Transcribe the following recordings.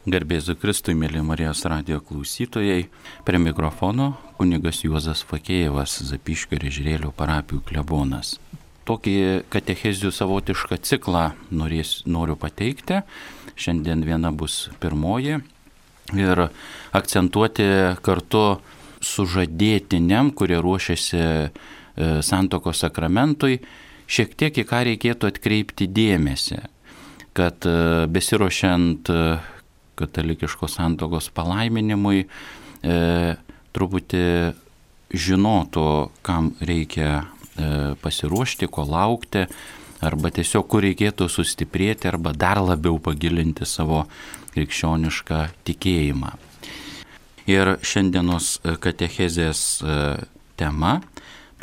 Garbėzu Kristui, mėly Marijos radijo klausytojai, prie mikrofono kunigas Juozas Fakėjevas, Zapyškio ir Ežerėlio parapijų klebonas. Tokį katechezių savotišką ciklą noriu pateikti. Šiandien viena bus pirmoji ir akcentuoti kartu sužadėtiniam, kurie ruošiasi santuokos sakramentui, šiek tiek į ką reikėtų atkreipti dėmesį, kad besiruošiant katalikiškos santuokos palaiminimui truputį žinotų, kam reikia pasiruošti, ko laukti, arba tiesiog kur reikėtų sustiprėti, arba dar labiau pagilinti savo krikščionišką tikėjimą. Ir šiandienos katechezės tema –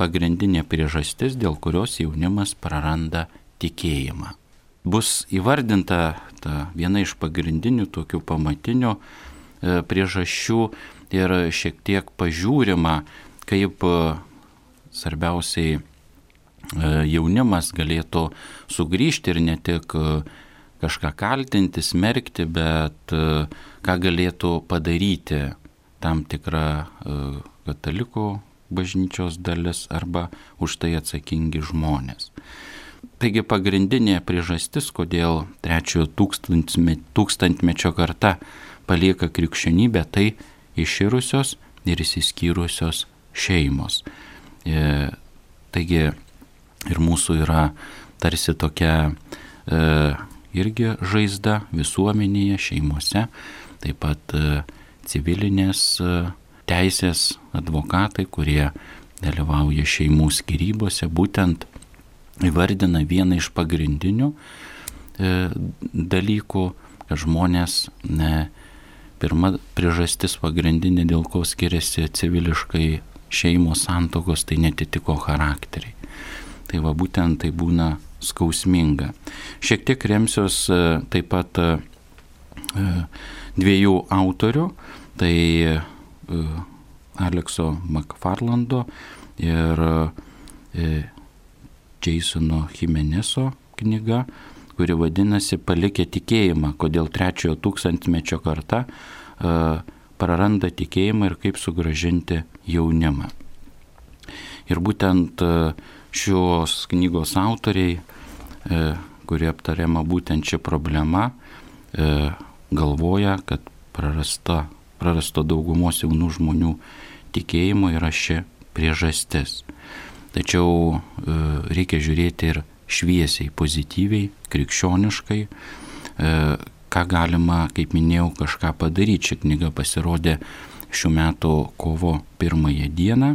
pagrindinė priežastis, dėl kurios jaunimas praranda tikėjimą. Bus įvardinta viena iš pagrindinių tokių pamatinių priežasčių ir šiek tiek pažiūrima, kaip svarbiausiai jaunimas galėtų sugrįžti ir ne tik kažką kaltinti, smerkti, bet ką galėtų padaryti tam tikra katalikų bažnyčios dalis arba už tai atsakingi žmonės. Taigi pagrindinė priežastis, kodėl trečiojo tūkstantmečio karta palieka krikščionybę, tai iširusios ir išsiskyrusios šeimos. Taigi ir mūsų yra tarsi tokia irgi žaizda visuomenėje, šeimose, taip pat civilinės teisės advokatai, kurie dalyvauja šeimų skyrybose, būtent įvardina vieną iš pagrindinių dalykų, kad žmonės, pirma priežastis pagrindinė, dėl ko skiriasi civiliškai šeimos santuokos, tai netitiko charakteriai. Tai va būtent tai būna skausminga. Šiek tiek remsiuos taip pat dviejų autorių, tai Alekso Makfarlando ir Jasono Jimeneso knyga, kuri vadinasi Palikę tikėjimą, kodėl trečiojo tūkstantmečio karta praranda tikėjimą ir kaip sugrąžinti jaunimą. Ir būtent šios knygos autoriai, kurie aptariama būtent ši problema, galvoja, kad prarasto daugumos jaunų žmonių tikėjimo yra ši priežastis. Tačiau reikia žiūrėti ir šviesiai, pozityviai, krikščioniškai, ką galima, kaip minėjau, kažką padaryti. Ši knyga pasirodė šių metų kovo 1 dieną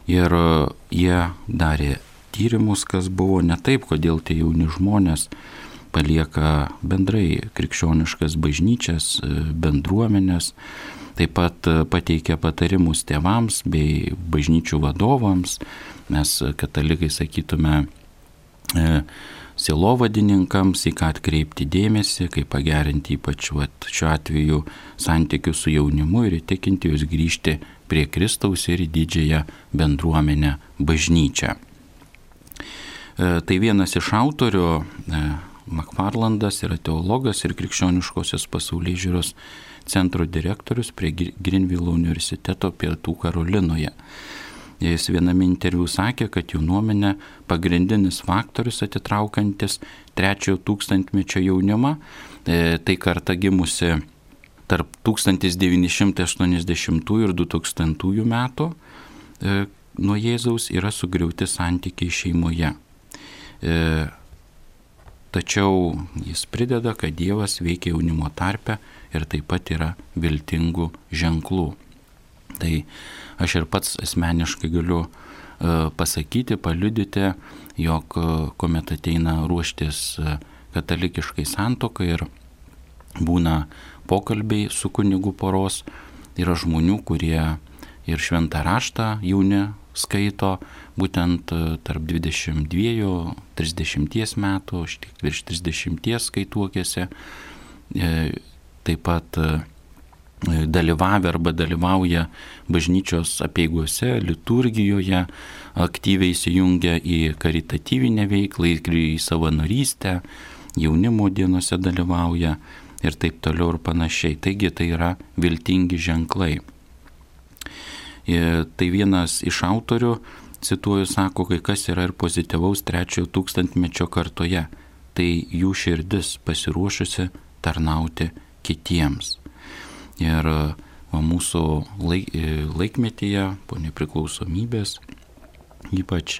ir jie darė tyrimus, kas buvo ne taip, kodėl tie jauni žmonės palieka bendrai krikščioniškas bažnyčias, bendruomenės, taip pat pateikia patarimus tėvams bei bažnyčių vadovams. Mes katalikai sakytume sielovadininkams, į ką atkreipti dėmesį, kaip pagerinti ypač šiuo atveju santykius su jaunimu ir įtikinti juos grįžti prie Kristaus ir į didžiąją bendruomenę bažnyčią. Tai vienas iš autorių, Makfarlandas, yra teologas ir krikščioniškosios pasaulėžiūros centro direktorius prie Grinvilo universiteto Pietų Karolinoje. Jis viename interviu sakė, kad jų nuomonė pagrindinis faktorius atitraukantis trečiojo tūkstantmečio jaunimą, tai karta gimusi tarp 1980 ir 2000 metų nuo Jėzaus, yra sugriauti santykiai šeimoje. Tačiau jis prideda, kad Dievas veikia jaunimo tarpe ir taip pat yra viltingų ženklų. Tai aš ir pats asmeniškai galiu pasakyti, paliudyti, jog kuomet ateina ruoštis katalikiškai santuokai ir būna pokalbiai su kunigu poros, yra žmonių, kurie ir šventą raštą jauni skaito, būtent tarp 22-30 metų, virš 30 skaituokėse, taip pat dalyvavę arba dalyvauja bažnyčios apeigose, liturgijoje, aktyviai įsijungia į karitatyvinę veiklą, į savanorystę, jaunimo dienose dalyvauja ir taip toliau ir panašiai. Taigi tai yra viltingi ženklai. Ir tai vienas iš autorių, cituoju, sako, kai kas yra ir pozityvaus 3 tūkstantmečio kartoje, tai jų širdis pasiruošusi tarnauti kitiems. Ir mūsų laikmetyje, po nepriklausomybės, ypač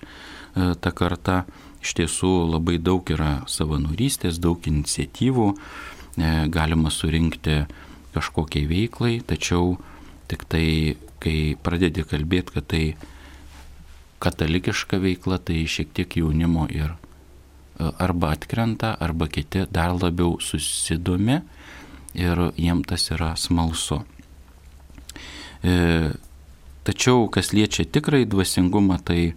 ta karta, iš tiesų labai daug yra savanorystės, daug iniciatyvų, galima surinkti kažkokiai veiklai, tačiau tik tai, kai pradedi kalbėti, kad tai katalikiška veikla, tai šiek tiek jaunimo ir arba atkrenta, arba kiti dar labiau susidomi ir jiem tas yra smalsu. Tačiau, kas liečia tikrai dvasingumą, tai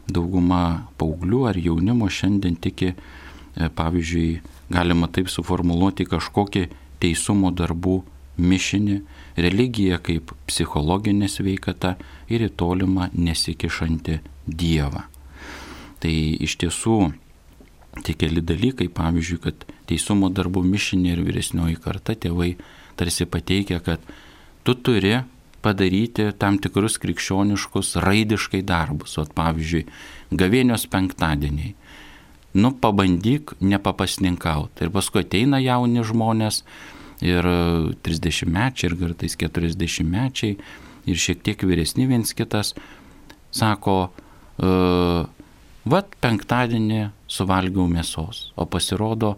dauguma paauglių ar jaunimo šiandien tiki, pavyzdžiui, galima taip suformuluoti kažkokį teisumo darbų mišinį, religiją kaip psichologinė sveikata ir į tolimą nesikišanti Dievą. Tai iš tiesų tie keli dalykai, pavyzdžiui, kad teisumo darbų mišinį ir vyresnioji karta tėvai tarsi pateikia, kad tu turi padaryti tam tikrus krikščioniškus raidiškai darbus. O pavyzdžiui, gavėnios penktadieniai. Pabandyk nepapasninkauti. Ir paskui ateina jauni žmonės ir 30-mečiai ir kartais 40-mečiai ir šiek tiek vyresni viens kitas sako, penktadienį suvalgiau mėsos, o pasirodo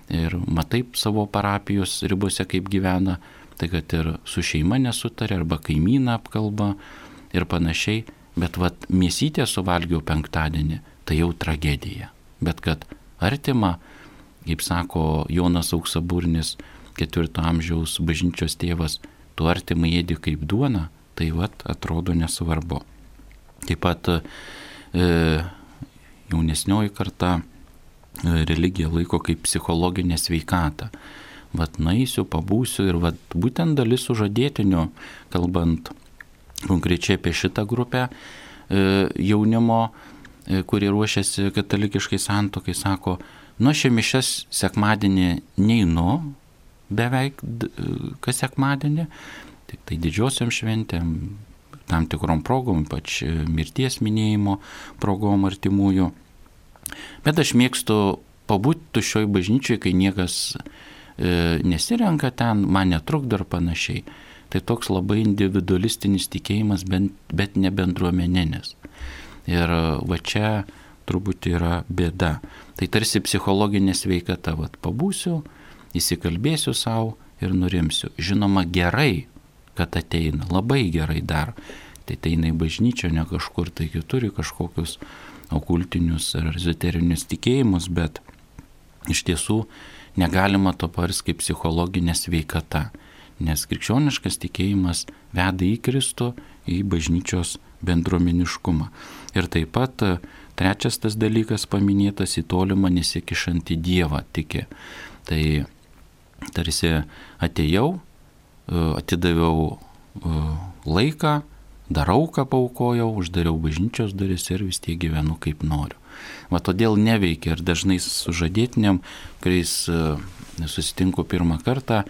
ir matai savo parapijos ribose kaip gyvena, tai kad ir su šeima nesutarė arba kaimyną apkalba ir panašiai, bet mėsytę suvalgiau penktadienį, tai jau tragedija. Bet kad artima, kaip sako Jonas Auksaburnis, 4 amžiaus bažnyčios tėvas, tu artimą ėdi kaip duona, tai atrodo nesvarbu. Taip pat jaunesnioji karta religiją laiko kaip psichologinę sveikatą. Naisiu, pabūsiu ir būtent dalis sužadėtinių, kalbant konkrečiai apie šitą grupę jaunimo, kurie ruošiasi katalikiškai santuokai, sako, aš į mišias sekmadienį neinu, beveik kas sekmadienį, tik tai didžiosiom šventėm, tam tikrom progom, ypač mirties minėjimo progom artimųjų. Bet aš mėgstu pabūti tuščioj bažnyčioj, kai niekas nesirenka ten, man netrukdo ir panašiai. Tai toks labai individualistinis tikėjimas, bet ne bendruomeninis. Ir čia turbūt yra bėda. Tai tarsi psichologinė sveikata, pabūsiu, įsikalbėsiu savo ir nurimsiu. Žinoma, gerai, kad ateina, labai gerai dar. Tai ateina į bažnyčią, ne kažkur, tai turi kažkokius okultinius ar ezoterinius tikėjimus, bet iš tiesų negalima to paversti kaip psichologinė sveikata, nes krikščioniškas tikėjimas veda į Kristų, į bažnyčios bendruomeniškumą. Ir taip pat trečias tas dalykas paminėtas, į tolimą nesikišantį Dievą tiki. Tai tarsi atėjau, atidaviau laiką, darau, ką paaukojau, uždariau bažnyčios duris ir vis tiek gyvenu kaip noriu. Todėl neveikia ir dažnai sužadėtiniam, kuriais susitinku pirmą kartą,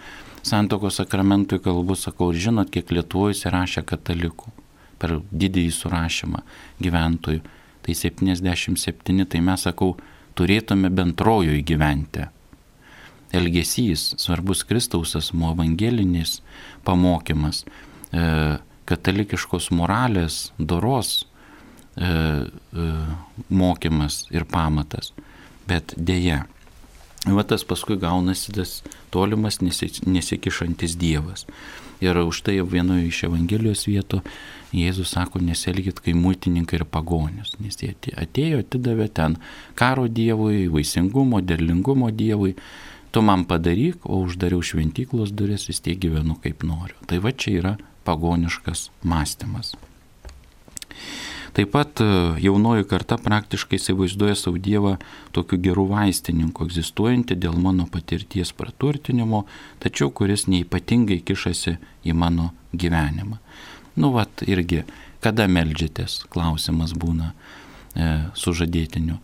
santuokos sakramentui kalbu, sakau, ir žinot, kiek Lietuvoje įsirašė katalikų per didįjį surašymą gyventojų. Tai 77, tai mes, sakau, turėtume bent rojuje gyventi. Elgesys, svarbus Kristaus asmuo, evangelinis pamokymas, katalikiškos moralės, doros mokymas ir pamatas. Bet dėja, tas paskui gaunasi tas tolimas nesikišantis Dievas. Ir už tai vienoje iš Evangelijos vietų Jėzus sako, nesielkit kaip muitininkai ir pagonys, nes jie atėjo, atidavė ten karo Dievui, vaisingumo, derlingumo Dievui. Tu man padaryk, o uždariau šventyklos duris, vis tiek gyvenu kaip noriu. Tai čia yra pagoniškas mąstymas. Taip pat jaunoji karta praktiškai įsivaizduoja savo Dievą tokiu geru vaistininku, egzistuojantį dėl mano patirties praturtinimo, tačiau kuris neipatingai kišasi į mano gyvenimą. Irgi, kada meldžiatės, klausimas būna sužadėtiniu.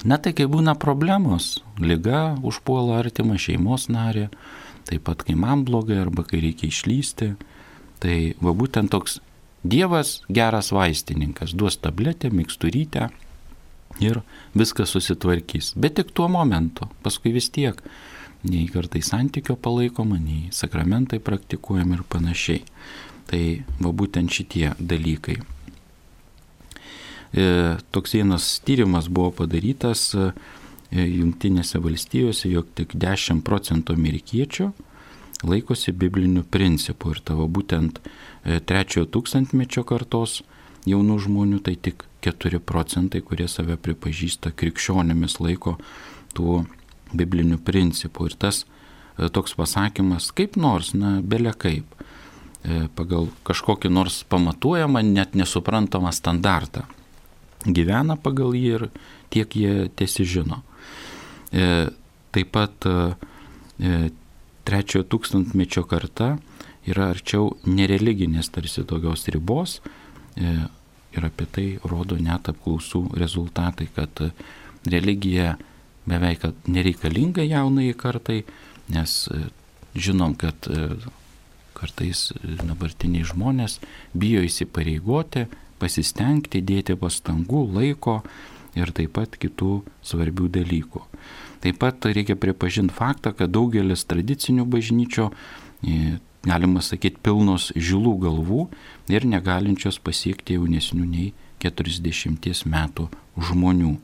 Tai kai būna problemos, liga užpuola artimą šeimos narį, taip pat kai man blogai arba kai reikia išlysti. Tai va būtent toks Dievas geras vaistininkas, duos tabletę, miksturytę ir viskas susitvarkys. Bet tik tuo momentu, paskui vis tiek nei kartai santykio palaikoma, nei sakramentai praktikuojami ir panašiai. Tai va būtent šitie dalykai. Toks vienas tyrimas buvo padarytas Jungtinėse valstijose, jog tik 10% amerikiečių laikosi biblinių principų. Ir tavo būtent 3 tūkstantmečio kartos jaunų žmonių, tai tik 4%, kurie save pripažįsta krikščionimis, laiko tų biblinių principų. Ir tas toks pasakymas, kaip nors, bele kaip, pagal kažkokį nors pamatuojamą, net nesuprantamą standartą, gyvena pagal jį ir tiek jie tiesižino. Taip pat 3 tūkstantmečio karta yra arčiau nereliginės tarsi tokios ribos ir apie tai rodo net apklausų rezultatai, kad religija beveik nereikalinga jaunai kartai, nes žinom, kad kartais dabartiniai žmonės bijo įsipareigoti, pasistengti, dėti pastangų, laiko ir taip pat kitų svarbių dalykų. Taip pat reikia pripažinti faktą, kad daugelis tradicinių bažnyčių, galima sakyti, pilnos žilų galvų ir negalinčios pasiekti jaunesnių nei 40 metų žmonių.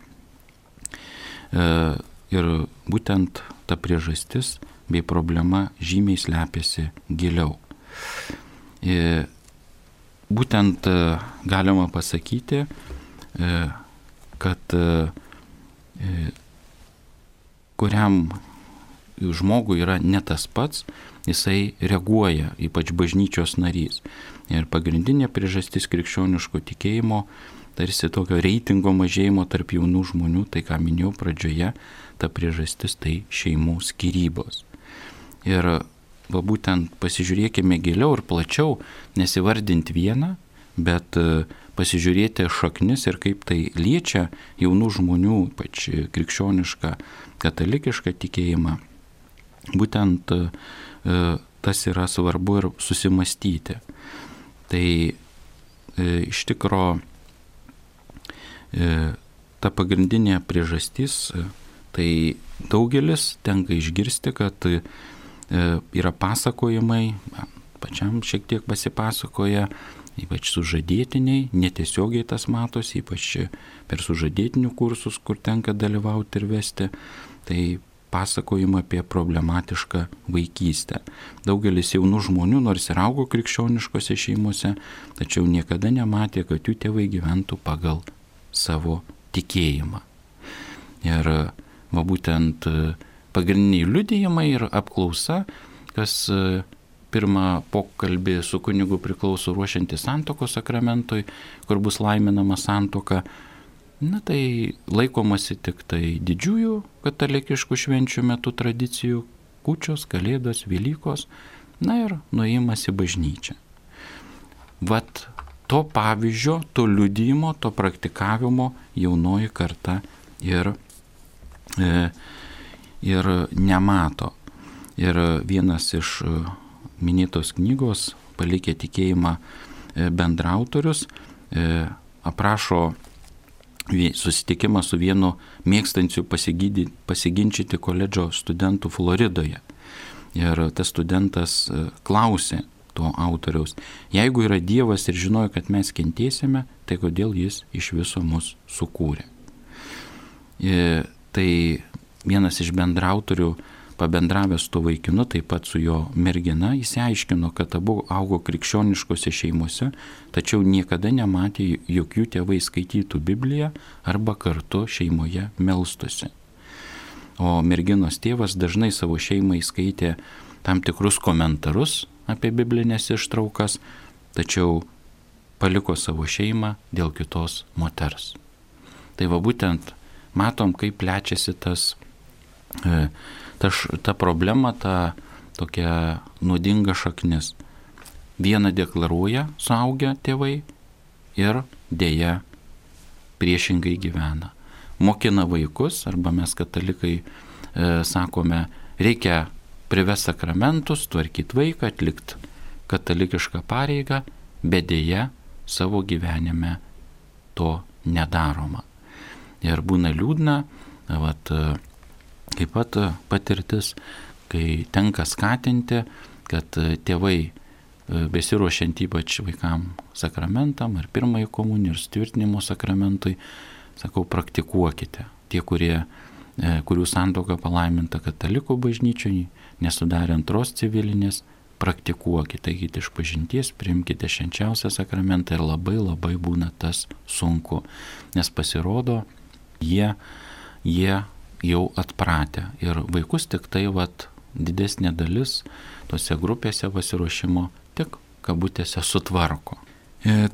Ir būtent ta priežastis bei problema žymiai slepiasi giliau. Būtent galima pasakyti, kad kuriam žmogui yra ne tas pats, jisai reaguoja, ypač bažnyčios narys. Ir pagrindinė priežastis krikščioniško tikėjimo, tarsi tokio reitingo mažėjimo tarp jaunų žmonių, tai ką minėjau pradžioje, ta priežastis tai šeimų skyrybos. Ir va būtent pasižiūrėkime giliau ir plačiau, nesivardinti vieną, bet pasižiūrėti šaknis ir kaip tai liečia jaunų žmonių, ypač krikščionišką, katalikišką tikėjimą. Būtent tas yra svarbu ir susimastyti. Tai iš tikro ta pagrindinė priežastis, tai daugelis tenka išgirsti, kad yra pasakojimai, pačiam šiek tiek pasipasakoja, ypač sužadėtiniai, netiesiogiai tas matosi, ypač per sužadėtinių kursus, kur tenka dalyvauti ir vesti, tai pasakojimą apie problematišką vaikystę. Daugelis jaunų žmonių, nors ir augo krikščioniškose šeimose, tačiau niekada nematė, kad jų tėvai gyventų pagal savo tikėjimą. Ir va būtent pagrindiniai liudijimai ir apklausa, kas pirmą pokalbį su kunigu priklauso ruošiantis santuokos sakramentui, kur bus laiminama santuoka, tai laikomasi tik tai didžiųjų katalikiškų švenčių metu tradicijų, kūčios, kalėdos, Velykos, ir nuėjimas į bažnyčią. Vat to pavyzdžio, to liudijimo, to praktikavimo jaunoji karta ir nemato. Ir vienas iš minėtos knygos Palikę tikėjimą bendraautorius aprašo susitikimą su vienu mėgstančiu pasiginčyti koledžo studentų Floridoje. Ir tas studentas klausė to autoriaus, jeigu yra Dievas ir žinojo, kad mes kentėsime, tai kodėl jis iš viso mus sukūrė. Tai vienas iš bendraautorių, pabendravęs to vaikinu, taip pat su jo mergina, įsiaiškino, kad abu augo krikščioniškose šeimose, tačiau niekada nematė, jog jų tėvai skaitytų Bibliją arba kartu šeimoje melstusi. O merginos tėvas dažnai savo šeimai skaitė tam tikrus komentarus apie biblinės ištraukas, tačiau paliko savo šeimą dėl kitos moters. Tai va būtent matom, kaip plečiasi ta problema, ta tokia nuodinga šaknis. Vieną deklaruoja suaugę tėvai ir dėja priešingai gyvena. Mokina vaikus, arba mes katalikai sakome, reikia privest sakramentus, tvarkyti vaiką, atlikti katalikišką pareigą, bet dėja savo gyvenime to nedaroma. Ir būna liūdna, taip pat patirtis, kai tenka skatinti, kad tėvai besiruošiant ypač vaikam sakramentam, ar pirmąjį komuniją, ir tvirtinimo sakramentui, sakau, praktikuokite. Tie, kurių santuoka palaiminta katalikų bažnyčioje, nesudarė antros civilinės, praktikuokite, eikite išpažinties, priimkite švenčiausią sakramentą, ir labai labai būna tas sunku, nes pasirodo, jie jau atpratę, ir vaikus tik tai didesnė dalis tose grupėse pasiruošimo tik kabutėse sutvarko.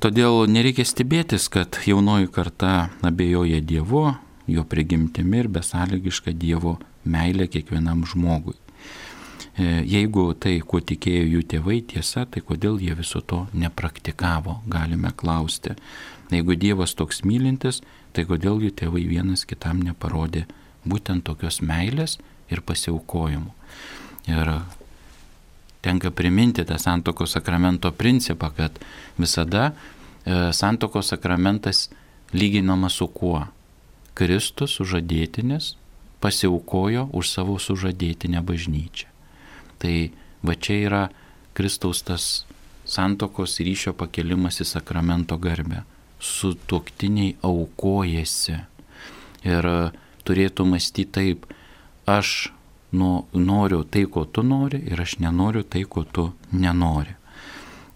Todėl nereikia stebėtis, kad jaunoji karta abejoja Dievu, jo prigimtimi ir besąlygiška Dievo meilė kiekvienam žmogui. Jeigu tai, kuo tikėjo jų tėvai, tiesa, tai kodėl jie viso to nepraktikavo, galime klausti. Jeigu Dievas toks mylintis, tai kodėl jų tėvai vienas kitam neparodė būtent tokios meilės ir pasiaukojimų. Ir tenka priminti tą santuokos sakramento principą, kad visada santuokos sakramentas lyginamas su kuo? Kristus sužadėtinis pasiaukojo už savo sužadėtinę bažnyčią. Tai va čia yra Kristaus tas santuokos ryšio pakelimas į sakramento garbę. Sutuoktiniai aukojasi ir turėtų mąstyti taip: aš noriu tai, ko tu nori, ir aš nenoriu tai, ko tu nenori.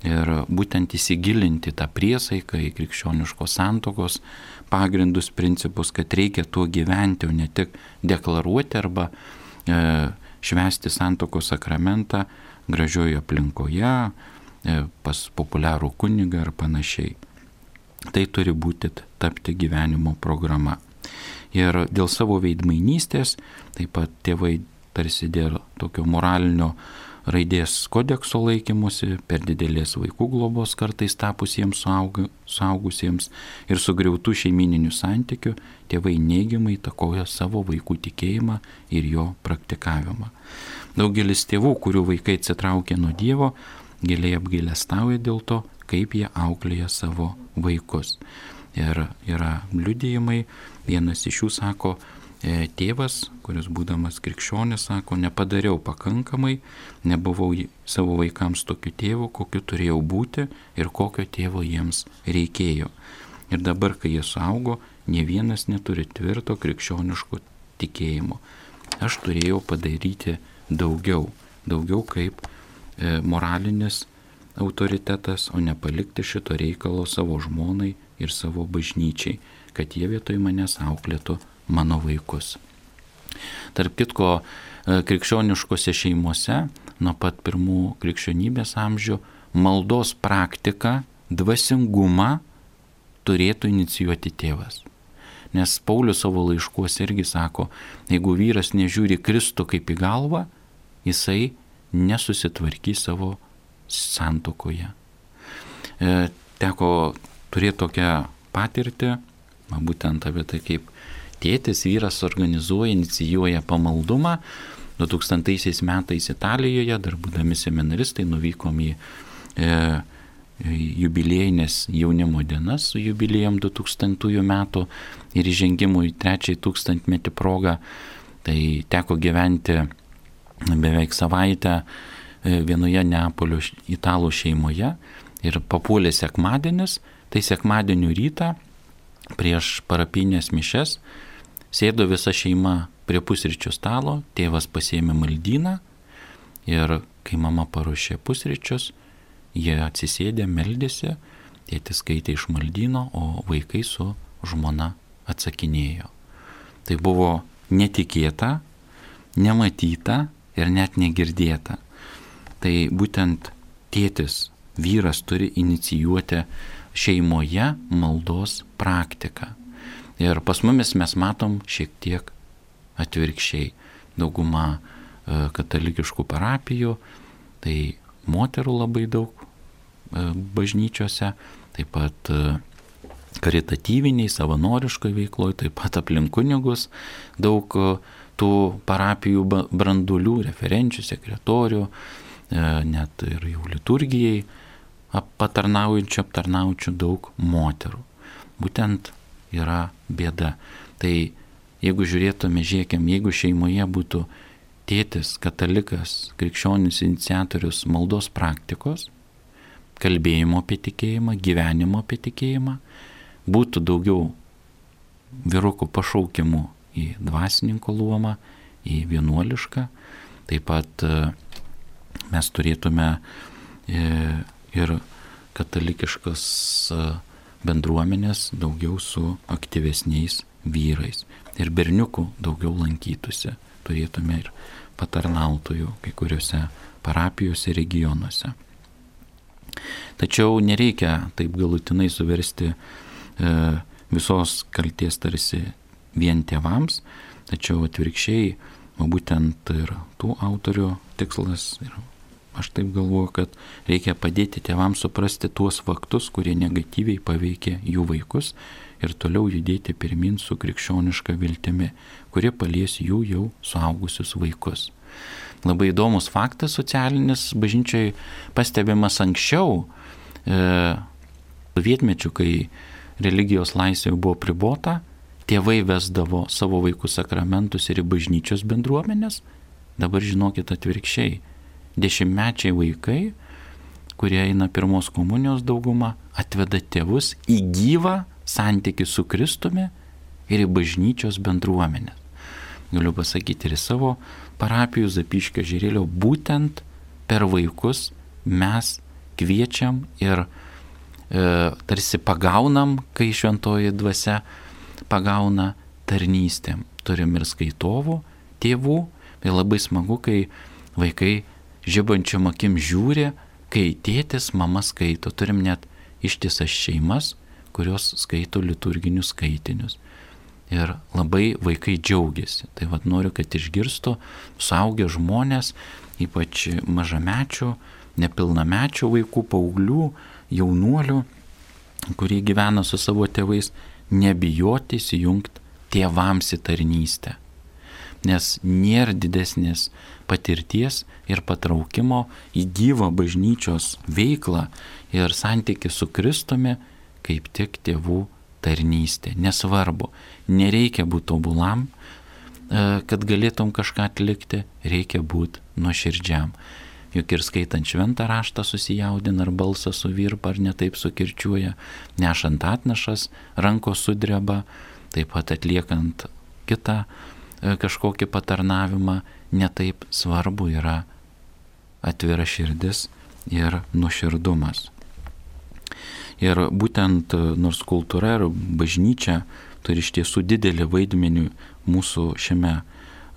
Ir būtent įsigilinti tą priesaiką į krikščioniškos santuokos pagrindus, principus, kad reikia tuo gyventi, o ne tik deklaruoti arba švęsti santuokos sakramentą gražioje aplinkoje, pas populiarų kunigą ar panašiai. Tai turi būti tapti gyvenimo programa. Ir dėl savo veidmainystės, taip pat tėvai tarsi dėl tokio moralinio raidės kodekso laikymosi, per didelės vaikų globos kartais tapusiems suaugusiems ir sugriautų šeimininių santykių, tėvai neigiamai įtakoja savo vaikų tikėjimą ir jo praktikavimą. Daugelis tėvų, kurių vaikai atsitraukia nuo Dievo, giliai apgailestauja dėl to, kaip jie auklėja savo vaikus. Ir yra liudijimai, vienas iš jų sako, tėvas, kuris būdamas krikščionis, sako, nepadariau pakankamai, nebuvau savo vaikams tokiu tėvu, kokiu turėjau būti ir kokio tėvo jiems reikėjo. Ir dabar, kai jie suaugo, nė vienas neturi tvirto krikščioniško tikėjimo. Aš turėjau padaryti daugiau kaip moralinis autoritetas, o nepalikti šito reikalo savo žmonai ir savo bažnyčiai, kad jie vietoj manęs auklėtų mano vaikus. Tarp kitko, krikščioniškose šeimose nuo pat pirmų krikščionybės amžių maldos praktika, dvasingumą turėtų inicijuoti tėvas. Nes Paulius savo laiškuose irgi sako, jeigu vyras nežiūri Kristų kaip į galvą, jisai nesusitvarkys savo santuokoje. Teko turėti tokią patirtį, būtent apie tai, kaip tėtis, vyras organizuoja, inicijuoja pamaldumą. 2000 metais Italijoje, dar būdami seminaristai, nuvykom į jubiliejinės jaunimo dienas su jubiliejom 2000 metų ir įžengimų į 3 tūkstantmetį progą. Tai teko gyventi beveik savaitę vienoje Neapolio italų šeimoje ir papuolė sekmadienis, tai sekmadienio rytą prieš parapinės mišias sėdo visa šeima prie pusryčių stalo, tėvas pasiėmė maldyną ir kai mama paruošė pusryčius, jie atsisėdė, meldėsi, tėtis skaitė iš maldyno, o vaikai su žmona atsakinėjo. Tai buvo netikėta, nematyta ir net negirdėta. Tai būtent tėtis, vyras turi inicijuoti šeimoje maldos praktiką. Ir pas mumis mes matom šiek tiek atvirkščiai. Dauguma katalikiškų parapijų, tai moterų labai daug bažnyčiose, taip pat karitatyviniai, savanoriškai veikloje, taip pat aplink kunigus daug tų parapijų branduolių, referenčių, sekretorių, net ir jau liturgijai aptarnaujančių daug moterų. Būtent yra bėda. Tai jeigu žiūrėkim, jeigu šeimoje būtų tėtis, katalikas, krikščionis iniciatorius maldos praktikos, kalbėjimo apie tikėjimą, gyvenimo apie tikėjimą, būtų daugiau vyrukų pašaukimų į dvasininko luomą, į vienuolišką. Taip pat mes turėtume ir katalikiškas bendruomenės daugiau su aktyvesniais vyrais. Ir berniukų daugiau lankytųsi. Turėtume ir patarnautojų kai kuriuose parapijose regionuose. Tačiau nereikia taip galutinai suversti visos kaltės tarsi vien tėvams, tačiau atvirkščiai, o būtent ir tų autorių tikslas, ir aš taip galvoju, kad reikia padėti tėvams suprasti tuos faktus, kurie negatyviai paveikia jų vaikus ir toliau judėti pirmin su krikščioniška viltimi, kurie palies jų jau suaugusius vaikus. Labai įdomus faktas socialinis bažnyčiai pastebimas anksčiau, sovietmečiu, kai religijos laisvė buvo pribota, tėvai vesdavo savo vaikų sakramentus ir į bažnyčios bendruomenės. Dabar žinokit atvirkščiai, 10-mečiai vaikai, kurie eina pirmos komunijos dauguma, atveda tėvus į gyvą santykį su Kristumi ir į bažnyčios bendruomenės. Galiu pasakyti ir savo parapijų Zapyškio Ežerėlio, būtent per vaikus mes kviečiam ir tarsi pagaunam, kai šventoji dvasia pagauna tarnystėm. Turim ir skaitovų tėvų, tai labai smagu, kai vaikai žibančiom akim žiūri, kai tėtis, mama skaito. Turim net ištisas šeimas, kurios skaito liturginius skaitinius. Ir labai vaikai džiaugiasi. Tai vat noriu, kad išgirstų suaugę žmonės, ypač mažamečių, nepilnamečių vaikų, paauglių, jaunuolių, kurie gyvena su savo tėvais, nebijoti įsijungti tėvams į tarnystę. Nes nėra didesnės patirties ir patraukimo į gyvą bažnyčios veiklą ir santykį su Kristumi, kaip tik tėvų tarnystė. Nesvarbu, nereikia būti tobulam, kad galėtum kažką atlikti, reikia būti nuoširdžiam. Juk ir skaitant šventą raštą susijaudina, ar balsas suvirpa, ar netaip sukirčiuoja, nešant atnašas, rankos sudreba, taip pat atliekant kitą kažkokį patarnavimą, netaip svarbu yra atvira širdis ir nuoširdumas. Ir būtent nors kultūra ir bažnyčia turi iš tiesų didelį vaidmenį mūsų šiame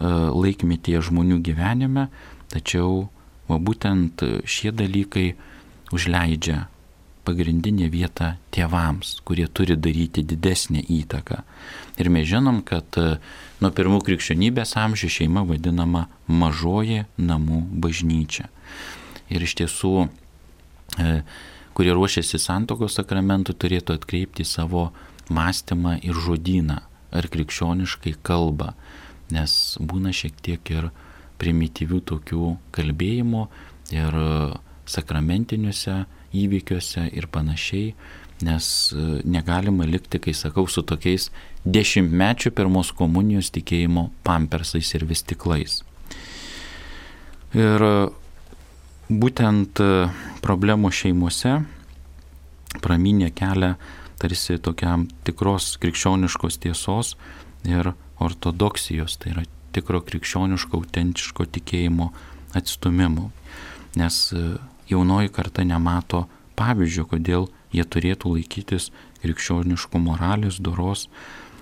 laikmetyje žmonių gyvenime, tačiau būtent šie dalykai užleidžia pagrindinę vietą tėvams, kurie turi daryti didesnę įtaką. Ir mes žinom, kad nuo pirmų krikščionybės amžių šeima vadinama mažoji namų bažnyčia. Ir iš tiesų, kurie ruošiasi santuokos sakramentų, turėtų atkreipti savo mąstymą ir žodyną, ar krikščioniškai kalba, nes būna šiek tiek ir primityvių tokių kalbėjimų ir sakramentiniuose įvykiuose ir panašiai, nes negalima likti, kai sakau, su tokiais 10-mečių pirmos komunijos tikėjimo pampersais ir vystiklais. Ir būtent problemų šeimose pramynė kelią tarsi tokiam tikros krikščioniškos tiesos ir ortodoksijos, tai yra tikro krikščioniško, autentiško tikėjimo atstumimu. Nes jaunoji karta nemato pavyzdžio, kodėl jie turėtų laikytis krikščioniškų moralės, doros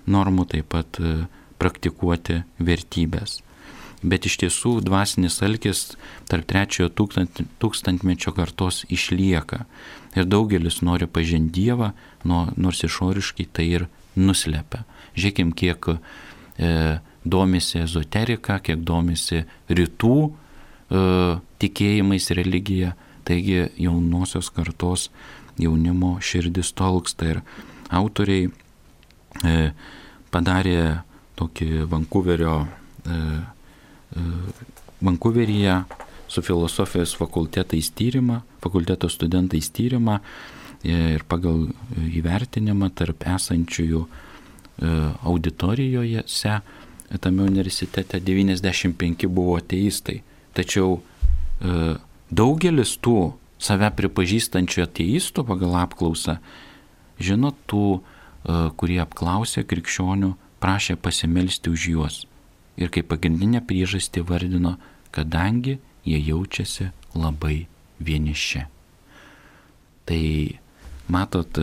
normų, taip pat praktikuoti vertybės. Bet iš tiesų dvasinis alkis tarp 3-ojo tūkstantmečio kartos išlieka. Ir daugelis nori pažinti Dievą, nors išoriškai tai ir nuslepia. Žiūrėkim, kiek domisi ezoterika, kiek domisi rytų tikėjimais religija. Taigi jaunosios kartos jaunimo širdis tolksta ir autoriai padarė tokį Vankuverio Vankuveryje su filosofijos fakulteto studentais tyrimą ir pagal įvertinimą tarp esančiųjų auditorijose tame universitete 95 buvo ateistai. Tačiau daugelis tų save pripažįstančių ateistų pagal apklausą, žinot, tų, kurie apklausė krikščionių, prašė pasimelsti už juos. Ir kaip pagrindinę priežastį vardino, kadangi jie jaučiasi labai vieniši. Tai matot,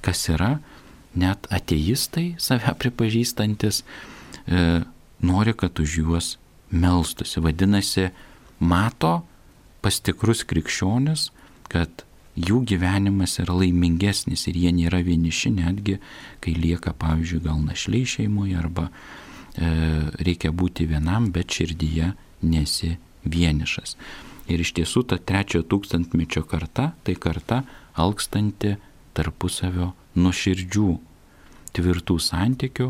kas yra, net ateistai save pripažįstantis nori, kad už juos melstusi. Vadinasi, mato pas tikrus krikščionis, kad jų gyvenimas yra laimingesnis ir jie nėra vieniši, netgi kai lieka, pavyzdžiui, gal našliai šeimoje arba reikia būti vienam, bet širdyje nesi vienišas. Ir iš tiesų ta 3 tūkstantmečio karta, tai karta alkstanti tarpusavio nuoširdžių, tvirtų santykių,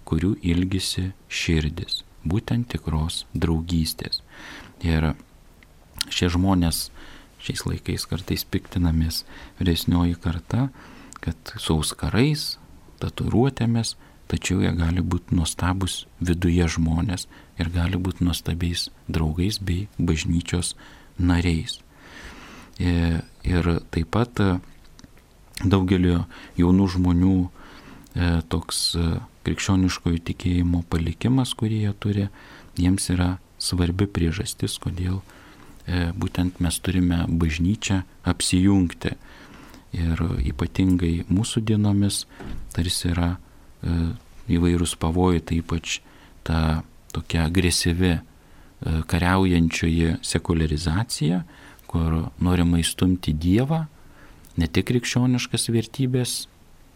kurių ilgisi širdis, būtent tikros draugystės. Ir šie žmonės šiais laikais kartais piktinamės, vyresnioji karta, kad su auskarais, tatuiruotėmis, tačiau jie gali būti nuostabus viduje žmonės ir gali būti nuostabiais draugais bei bažnyčios nariais. Ir taip pat daugelio jaunų žmonių toks krikščioniškojo tikėjimo palikimas, kurį jie turi, jiems yra svarbi priežastis, kodėl būtent mes turime bažnyčią apsijungti. Ir ypatingai mūsų dienomis tarsi yra įvairūs pavojai, tai ypač ta tokia agresyvi kariaujančioji sekularizacija, kur norima įstumti Dievą, ne tik krikščioniškas vertybės,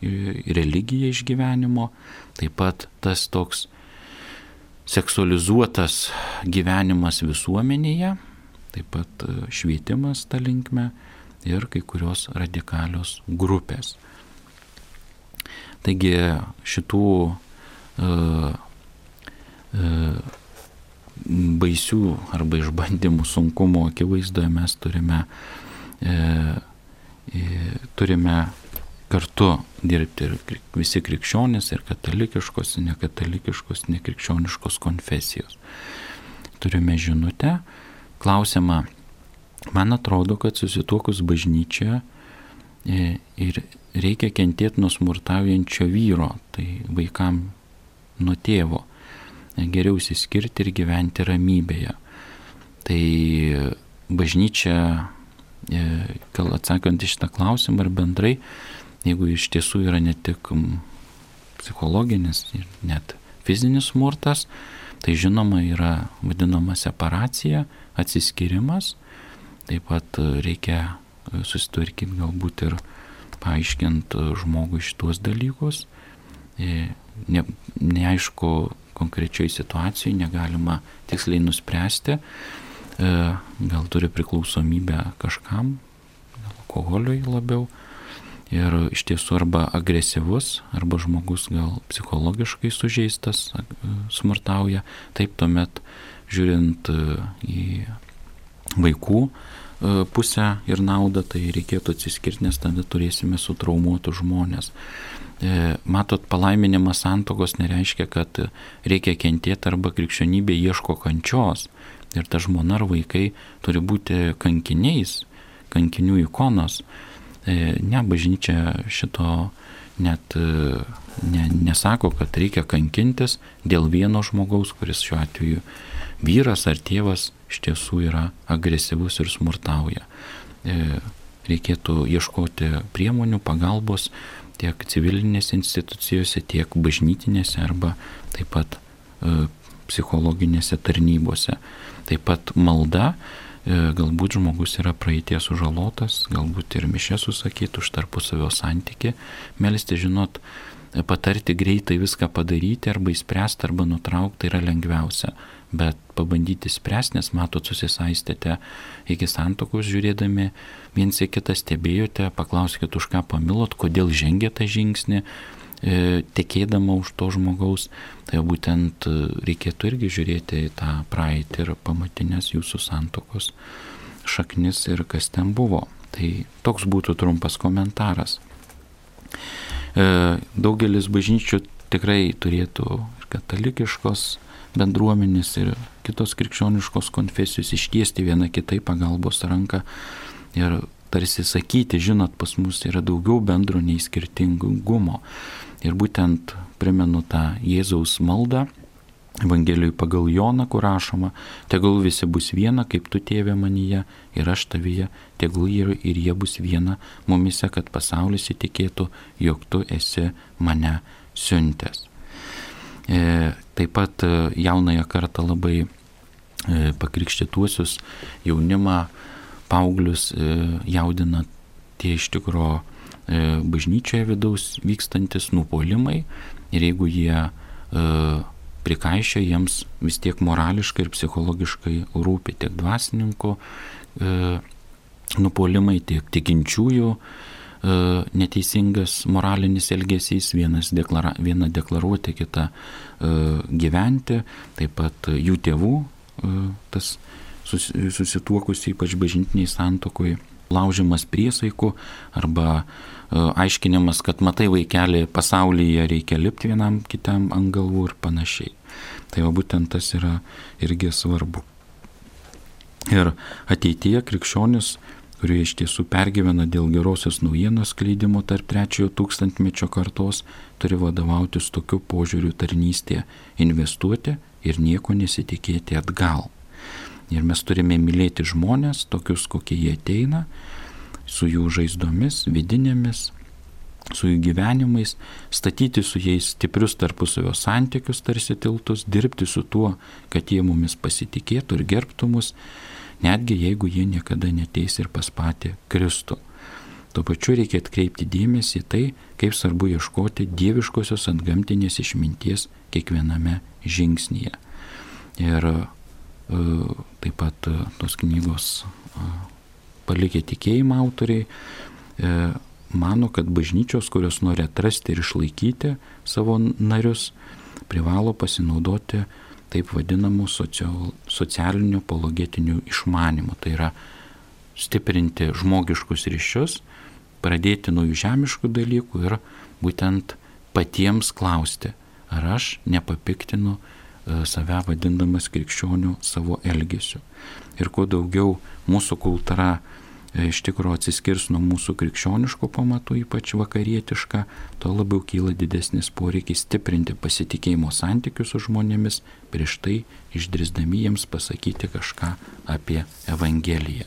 religiją iš gyvenimo, taip pat tas toks seksualizuotas gyvenimas visuomenėje, taip pat švietimas ta linkme ir kai kurios radikalios grupės. Taigi šitų baisių arba išbandymų sunkumo akivaizdoje mes turime kartu dirbti ir visi krikščionys, ir katalikiškos, ir nekatalikiškos, nekrikščioniškos konfesijos. Turime žinutę, klausimą, man atrodo, kad susituokus bažnyčioje ir reikia kentėti nuo smurtaujančio vyro, tai vaikam nuo tėvo, geriau išsiskirti ir gyventi ramybėje. Tai bažnyčia, atsakant į šitą klausimą ir bendrai, jeigu iš tiesų yra ne tik psichologinis ir net fizinis smurtas, tai žinoma yra vadinama separacija, atsiskyrimas, taip pat reikia susitvarkyti galbūt ir paaiškint žmogui šitos dalykus. Neaišku, konkrečioj situacijai negalima tiksliai nuspręsti, gal turi priklausomybę kažkam, alkoholiui labiau, ir iš tiesų arba agresyvus, arba žmogus gal psichologiškai sužeistas, smurtauja. Taip tuomet, žiūrint į vaikų pusę ir naudą, tai reikėtų atsiskirti, nes tada turėsime sutraumuotus žmonės. Matot, palaiminimas santuokos nereiškia, kad reikia kentėti arba krikščionybė ieško kančios. Ir ta žmona ar vaikai turi būti kankiniais, kankinių ikonos. Ne, bažnyčia šito net nesako, kad reikia kankintis dėl vieno žmogaus, kuris šiuo atveju vyras ar tėvas iš tiesų yra agresyvus ir smurtauja. Reikėtų ieškoti priemonių, pagalbos tiek civilinėse institucijose, tiek bažnytinėse arba taip pat psichologinėse tarnybose. Taip pat malda, galbūt žmogus yra praeities sužalotas, galbūt ir mišias susakyti už tarpusavio santykį, melstis, žinot, patarti greitai viską padaryti arba įspręsti arba nutraukti yra lengviausia, bet pabandyti spręsti, nes matot, susisaistėte iki santuokos žiūrėdami, viens į kitą stebėjote, paklauskite, už ką pamilot, kodėl žengė tą žingsnį, tekėdama už to žmogaus, tai būtent reikėtų irgi žiūrėti į tą praeitį ir pamatinės jūsų santuokos šaknis ir kas ten buvo. Tai toks būtų trumpas komentaras. Daugelis bažnyčių tikrai turėtų ir katalikiškos bendruomenės ir kitos krikščioniškos konfesijos ištiesti viena kitai pagalbos ranką ir tarsi sakyti, žinot, pas mus yra daugiau bendro nei skirtingumo. Ir būtent primenu tą Jėzaus maldą Evangelijoj pagal Joną, kur rašoma, tegul visi bus viena, kaip tu, Tėve, manyje ir aš tavyje, tegul ir jie bus viena mumise, kad pasaulis įtikėtų, jog tu esi mane siuntęs. Taip pat jaunąją kartą labai pakrikštytuosius jaunimą, paauglius jaudina tie iš tikro bažnyčioje vidaus vykstantis nupuolimai ir jeigu jie prikaišia, jiems vis tiek morališkai ir psichologiškai rūpi tiek dvasininkų nupuolimai, tiek tikinčiųjų neteisingas moralinis elgesys, viena deklaruoti, kita gyventi, taip pat jų tėvų tas susituokusi, ypač bažnytiniai santuokoj, laužimas priesaikų arba aiškinimas, kad matai, vaikeli, pasaulyje reikia lipti vienam kitam ant galvų ir panašiai. Tai va būtent tas yra irgi svarbu. Ir ateityje krikščionis, kurie iš tiesų pergyvena dėl gerosios naujienos skleidimo tarp 3 tūkstantmečio kartos, turi vadovautis tokiu požiūriu tarnystėje, investuoti ir nieko nesitikėti atgal. Ir mes turime mylėti žmonės, tokius, kokie jie ateina, su jų žaizdomis, vidinėmis, su jų gyvenimais, statyti su jais stiprius tarpusavio santykius, tarsi tiltus, dirbti su tuo, kad jie mumis pasitikėtų ir gerbtų mus, netgi jeigu jie niekada neteis ir pas patį Kristų. Tuo pačiu reikia atkreipti dėmesį į tai, kaip svarbu ieškoti dieviškosios antgamtinės išminties kiekviename žingsnyje. Ir taip pat tos knygos Palikę tikėjimą autoriai mano, kad bažnyčios, kurios nori atrasti ir išlaikyti savo narius, privalo pasinaudoti taip vadinamų socialinių apologetinių išmanymų. Tai yra stiprinti žmogiškus ryšius, pradėti nuo žemiškų dalykų ir būtent patiems klausti, ar aš nepapiktinu save vadindamas krikščionių savo elgesiu. Ir kuo daugiau mūsų kultūra iš tikrųjų atsiskirs nuo mūsų krikščioniško pamatų, ypač vakarietiška, tuo labiau kyla didesnis poreikis stiprinti pasitikėjimo santykius su žmonėmis, prieš tai išdrįsdami jiems pasakyti kažką apie Evangeliją.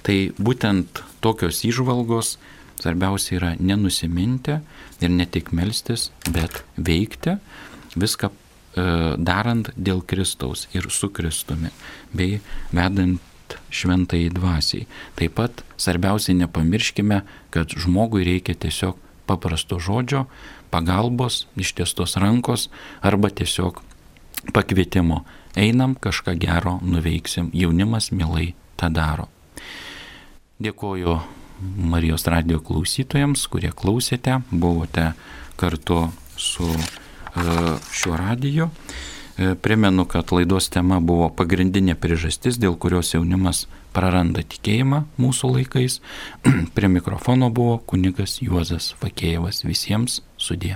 Tai būtent tokios įžvalgos svarbiausia yra nenusiminti ir ne tik melstis, bet veikti, viską darant dėl Kristaus ir su Kristumi, bei vedant šventai dvasiai. Taip pat svarbiausiai nepamirškime, kad žmogui reikia tiesiog paprasto žodžio, pagalbos, ištiestos rankos arba tiesiog pakvietimo. Einam, kažką gero nuveiksim, jaunimas mielai tą daro. Dėkoju Marijos radijo klausytojams, kurie klausėte, buvote kartu su šiuo radiju. Primenu, kad laidos tema buvo pagrindinė priežastis, dėl kurios jaunimas praranda tikėjimą mūsų laikais. Prie mikrofono buvo kunigas Juozas Fakėjevas. Visiems sudie.